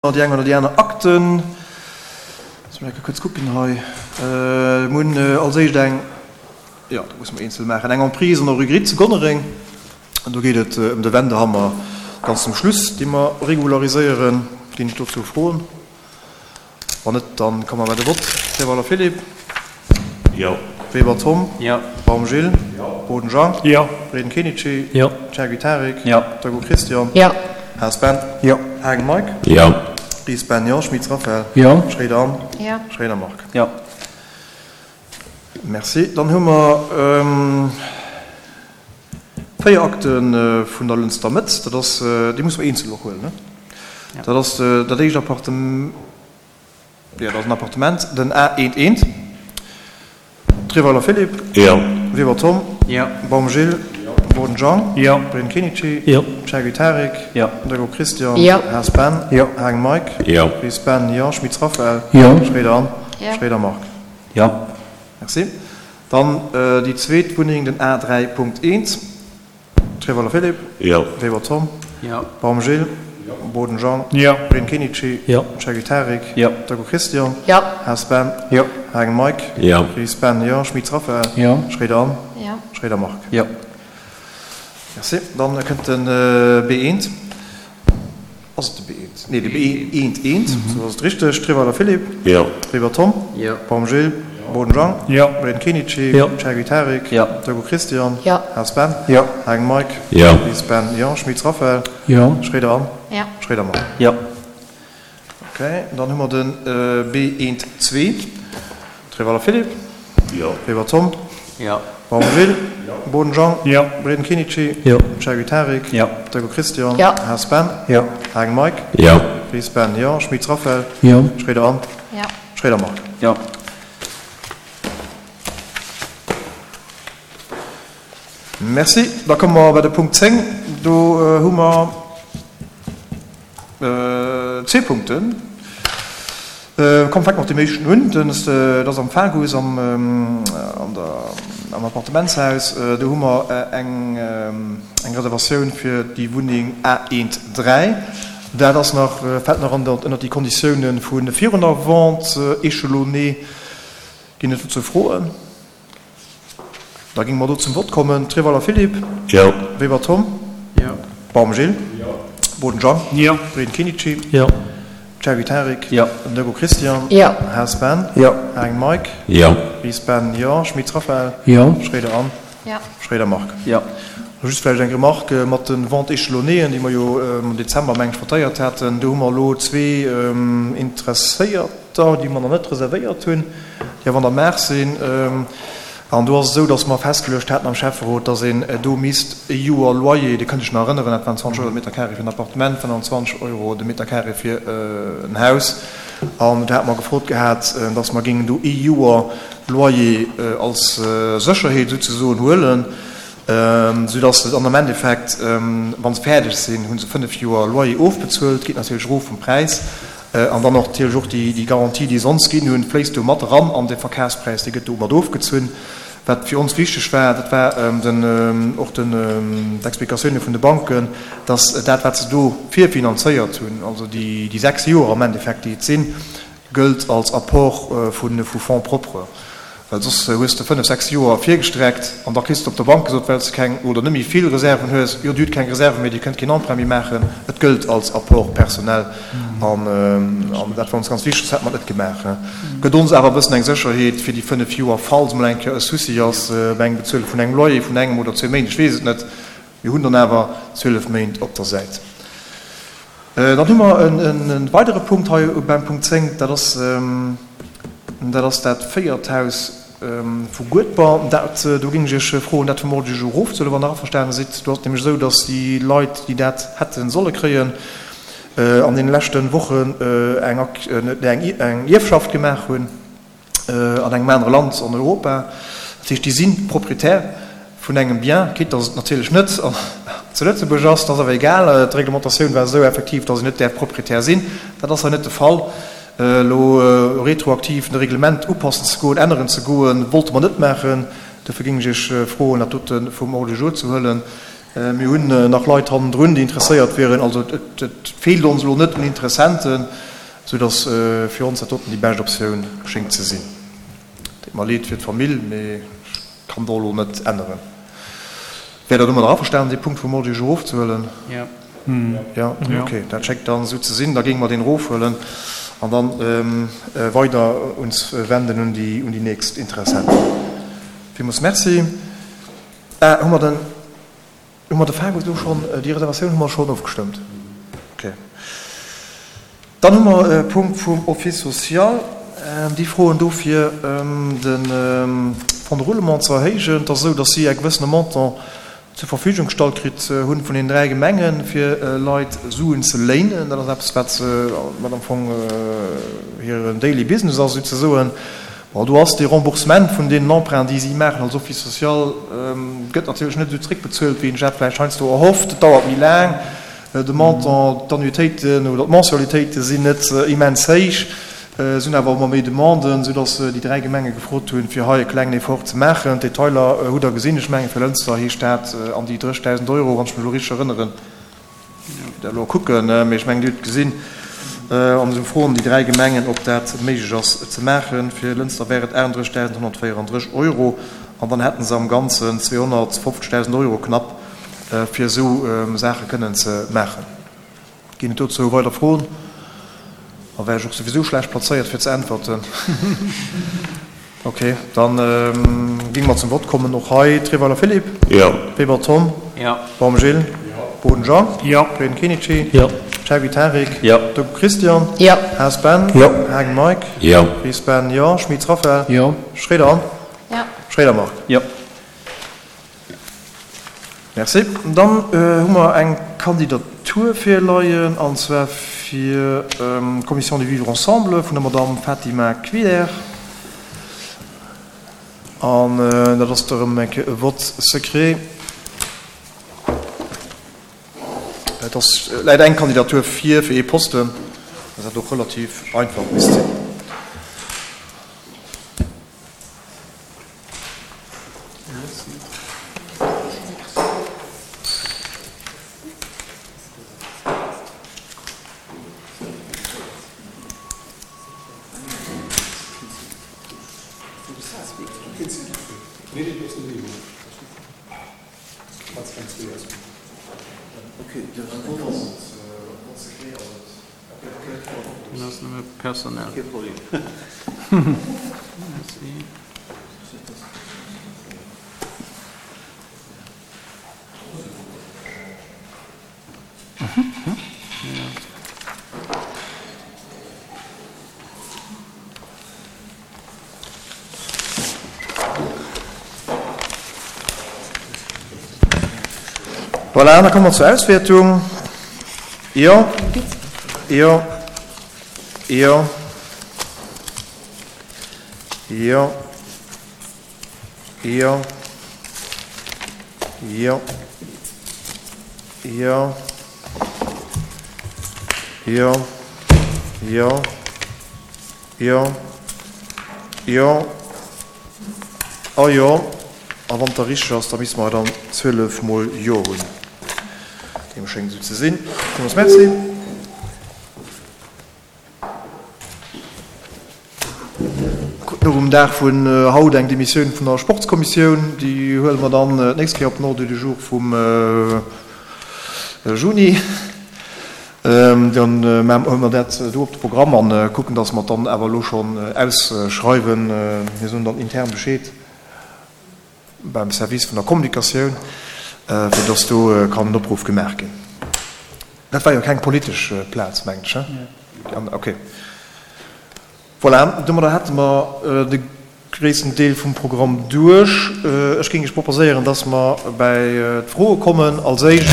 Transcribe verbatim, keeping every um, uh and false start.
Déi eng oder déi aner Akten. Loosse mer eng Kéier kuerz kucken hei. Mir hunn als éischt eng, jo, dat musse mer eenzel maachen, eng Emprise an der Rue Gritt zu Gonnereng. An do geet et ëm de Wendehammer ganz zum Schluss, dee mer regulariséieren. Ginn et dozou Froen? Wann net, da komme mer bei de Vott. Treweiler Philippe. Jo. Weber Tom. Jo. Baum Gilles. Jo. Boden Jean. Jo. Breden Kenichi. Jo. Chergui Tarik. Jo. Degout Christian. Jo. Haas Ben. Jo. Haagen Mike. Jo. Ries Ben, jo. Schmitz Raphaël. Jo. Schréider Anne. Jo. Schréider Marc. Jo. Merci. Dann hu mer véier Akte vun der Lënster Mëtt. Dat ass, déi musse mer eenzel och huelen, ne? Dat ass dat éischt Appartement. Jo, dat ass en Appartement, den A eent eent. Treweiler Philippe. Jo. Weber Tom. Jo. Baum Gilles. Jo. Boden Jean. Jo. Breen Kenichi. Jo. Chergui Tarik. Jo. Degout Christian. Jo. Haas Ben. Jo. Haagen Mike. Jo. Ries Ben, jo. Schmitz Raphaël. Jo. Schréider Anne. Jo. Schréider Marc. Jo. Merci. Dann déi zweet Wunneng, den A dräi Punkt eent. Treweiler Philippe. Jo. Weber Tom. Jo. Baum Gilles. Jo. Boden Jean. Jo. Breen Kenichi. Jo. Chergui Tarik. Jo. Degout Christian. Jo. Haas Ben. Jo. Haagen Mike. Jo. Ries Ben, jo. Schmitz Raphaël. Jo. Schréider Anne. Jo. Schréider Marc. Jo. Merci. Dann kënnt den B eent. Ass et de B eent? Nee, de B eent eent, esou ass et richteg. Treweiler Philippe. Jo. Weber Tom. Jo. Baum Gilles. Jo. Boden Jean. Jo. Breen Kenichi. Jo. Chergui Tarik. Jo. Degout Christian. Jo. Haas Ben. Jo. Haagen Mike. Jo. Ries Ben, jo. Schmitz Raphaël. Jo. Schréider Anne. Jo. Schréider Marc. Jo. Okay, dann hu mer de B eent zwee. Treweiler Philippe. Jo. Weber Tom. Jo. Baum Gilles. Jo. Boden Jean. Jo. Breden Kenichi. Jo. Chergui Tarik. Jo. Degout Christian. Jo. Haas Ben. Jo. Haagen Mike. Jo. Ries Ben, jo. Schmitz Raphaël. Jo. Schréider Anne. Jo. Schréider Marc. Jo. Merci. Da komme mer bei de Punkt zéng. Do hu mer zwee Punkten. Komm, fänke mer mat deem éischten un. Dat ass am Fagus, am Appartementshaus. Do hu mer eng Reservatioun fir déi Wunneng A eent dräi. Dat ass nach, fält nach ënnert déi Konditiounen vu virun der Vente échelonnée. Ginn et dozou Froen? Da géinge mer do zum Vott kommen. Treweiler Philippe. Jo. Weber Tom. Jo. Baum Gilles. Jo. Boden Jean. Jo. Breden Kenichi. Jo. Chergui Tarik. Jo. Degout Christian. Jo. Haas Ben. Jo. Haagen Mike. Jo. Ries Ben, jo. Schmitz Raphaël. Jo. Schréider Anne. Jo. Schréider Marc. Jo. Just vläicht eng Remarque mat de Ventes échelonnéeën, déi mer jo am Dezember, meng ech, votéiert haten. Do hu mer elo zwee Interesséierter, déi mer nach net reservéiert hunn, déi awer an der Maach sinn. An do ass et esou, dass mer festgeluecht haten am Schäfferot, dass een do misst e Joer Loyer, Dir kënnt Iech nach erënneren, dat waren zwanzeg Euro de Meter carré fir en Appartement, fënnanzwanzeg Euro de Meter carré fir en Haus. An do hate mer gefrot gehat, dass mer géingen do ee Joer Loyer als Sécherheet souzesoen huelen, soudass se dann am Endeffekt, wa se fäerdeg sinn, hu se fënnef Joer Loyer ofbezuelt, geet natierlech erof vum Präis. An dann och natierlech och déi Garantie, déi se ons ginn hunn, fléisst do mat eran an de Verkafspräis, dee gëtt do mat ofgezunn. Wat fir ons wichteg war, dat war den, och den, d'Explikatioune vun de Banken, dass dat, wat se do virfinanzéiert hunn, also déi sechs Joer am Endeffekt, déi et sinn, gëllt als Apport vu Fonds propres. Well soss hues de fënnef, sechs Joer virgestreckt an da kriss de op der Bank gesot, well s de keng oder net méi vill Reserven hues, jo, Dir hutt keng Reserven méi, Dir kënnt keen Emprunt méi maachen, et gëllt als Apport personnel. An dat war ons ganz wichteg, soss hätte mer et net gemaach. Gëtt ons awer e bëssen eng Sécherheet fir déi fënnef Joer, falls emol eng Kéier e Souci ass bei engem Bezuele vun engem Loyer vun engem oder zwee Méint, ech weess et net, mir hunn dann awer zwielef Méint op der Säit. Dann hu mer e weidere Punkt hei beim Punkt zéng, dat ass, Dat ass dat véiert Haus vu Guedber. Dat, do géing ech Iech froen, dat vum Ordre du jour erofzehuelen, wann Der averstane sidd. Do ass et nämlech esou, datt déi Leit, déi dat hätte solle kréien, an deene leschte Wochen eng Ierfschaft gemaach hunn an engem anere Land an Europa. Dat heescht, déi si Proprietär vun engem Bien, quitte datt et natierlech net zu Lëtzebuerg ass. Dat ass awer egal. D'Reglementatioun war esou effektiv, datt een net däerf Proprietär sinn. Dat ass hei net de Fall. Elo retroaktiv de Reglement upassen ze goen, änneren ze goen, wollte mer net maachen. Dofir géing ech Iech froen, dat dote vum Ordre du jour ze huelen. Mir hunn nach Leit hannendrun, déi interesséiert wieren. Also et et feelt ons elo net un Interessenten, soudass fir ons dat doten déi bescht Optioun schéngt ze sinn. Deet mer leed fir d'Famill, mee ech kann do elo net änneren. Wäert Der domadder averstanen, dee Punkt vum Ordre du jour erofzehuelen? Jo. Jo, okay, dat schéngt dann esou ze sinn. Da géinge mer deen erofhuelen an dann weider uns wenden un déi un déi nächst Interessenten. Villmools Merci. Ah, hu mer den, hu mer de Fagus elo schonn, déi Reservatioun hu mer schonn ofgestëmmt? Okay. Dann hu mer e Punkt vum Office social. Déi froen dofir, de Fonds de roulement ze erhéijen. Et ass esou, datt si e gewëssene Montant zur Verfügung gestallt kritt hunn vun den dräi Gemengen, fir Leit Suen ze léinen. Dat ass eppes, wat wat am Fong hiren daily business ass, souzesoen. Bon, do ass dee Remboursement vun deenen Emprunts, déi si maachen als Office social, gëtt natierlech net esou zréckbezuelt, wéi een sech dat vläicht heiansdo erhofft. Et dauert méi laang. De Montant, d'Annuitéiten oder d'Mensualitéite sinn net immens héich. Et sinn awer ëmmer méi Demanden, soudass déi dräi Gemenge gefrot hunn, fir hei e klengen Effort ze maachen. D'Detailer hutt Der gesinn. Ech mengen, fir Lënster heescht dat an déi dréchtausend Euro, wann ech mech elo richteg erënneren. Ech wäert elo kucken, mee ech mengen, Dir hutt gesinn. An esou froen déi dräi Gemengen, ob dat méiglech ass ze maachen. Fir Lënster wär et aachunddrëssigdausendhonnertvéierandrësseg Euro an dann hätte se am Ganzen zweehonnertfofzegdausend Euro knapp, fir esou Saache kënnen ze maachen. Ginn et dozou weider Froen? Da wär ech och souwisou schlecht plazéiert fir ze äntwerten. Ok, da géinge mer zum Vott kommen. Och hei Treweiler Philippe. Jo. Weber Tom. Jo. Baum Gilles. Jo. Boden Jean. Jo. Frieden Kenichi. Jo. Cherby Tarik. Jo. Doku Christian. Jo. Haas Ben. Jo. Haagen Mike. Jo. Ries Ben, jo. Schmitz Raphaël. Jo. Schroeder Anne. Jo. Schroeder Marc. Jo. Merci. Dann hu mer eng Kandidatur virleien, an zwar fir d'Commission du vivre ensemble vun der Madamm Fatima Kvider. An dat ass erëm eng Kéier e Vote secret. Et ass, läit eng Kandidatur vir fir ee Posten, dass dat och relativ einfach misst sinn. Voilà, da komme mer zur Auswäertung. Jo, jo, jo, jo, jo, jo, jo, jo, jo, jo, jo a jo. A wann et da richteg ass, da misste mer dann zwielef mol Jo hunn. Deem schéngt esou ze sinn. Villmools Merci. Kruten och um Dag vun haut eng Demissioun vun der Sportskommissioun. Déi huele mer dann d'nächst Kéier op den Ordre du jour vum Juni. Dann huele mer dat do op de Programm a kucken, dass mer et dann awer elo schonn ausschreiwen. Mir soen dann intern Bescheed beim Service vun der Kommunikatioun, fir dass do kann en Opruff gemaach ginn. Dat war jo keng politesch Plaz, mengen ech, he? Okay. Voilà, domadder hätte mer de gréissten Deel vum Programm duerch. Ech géing Iech proposéieren, dass mer bäi d'Froe kommen. Als éischt.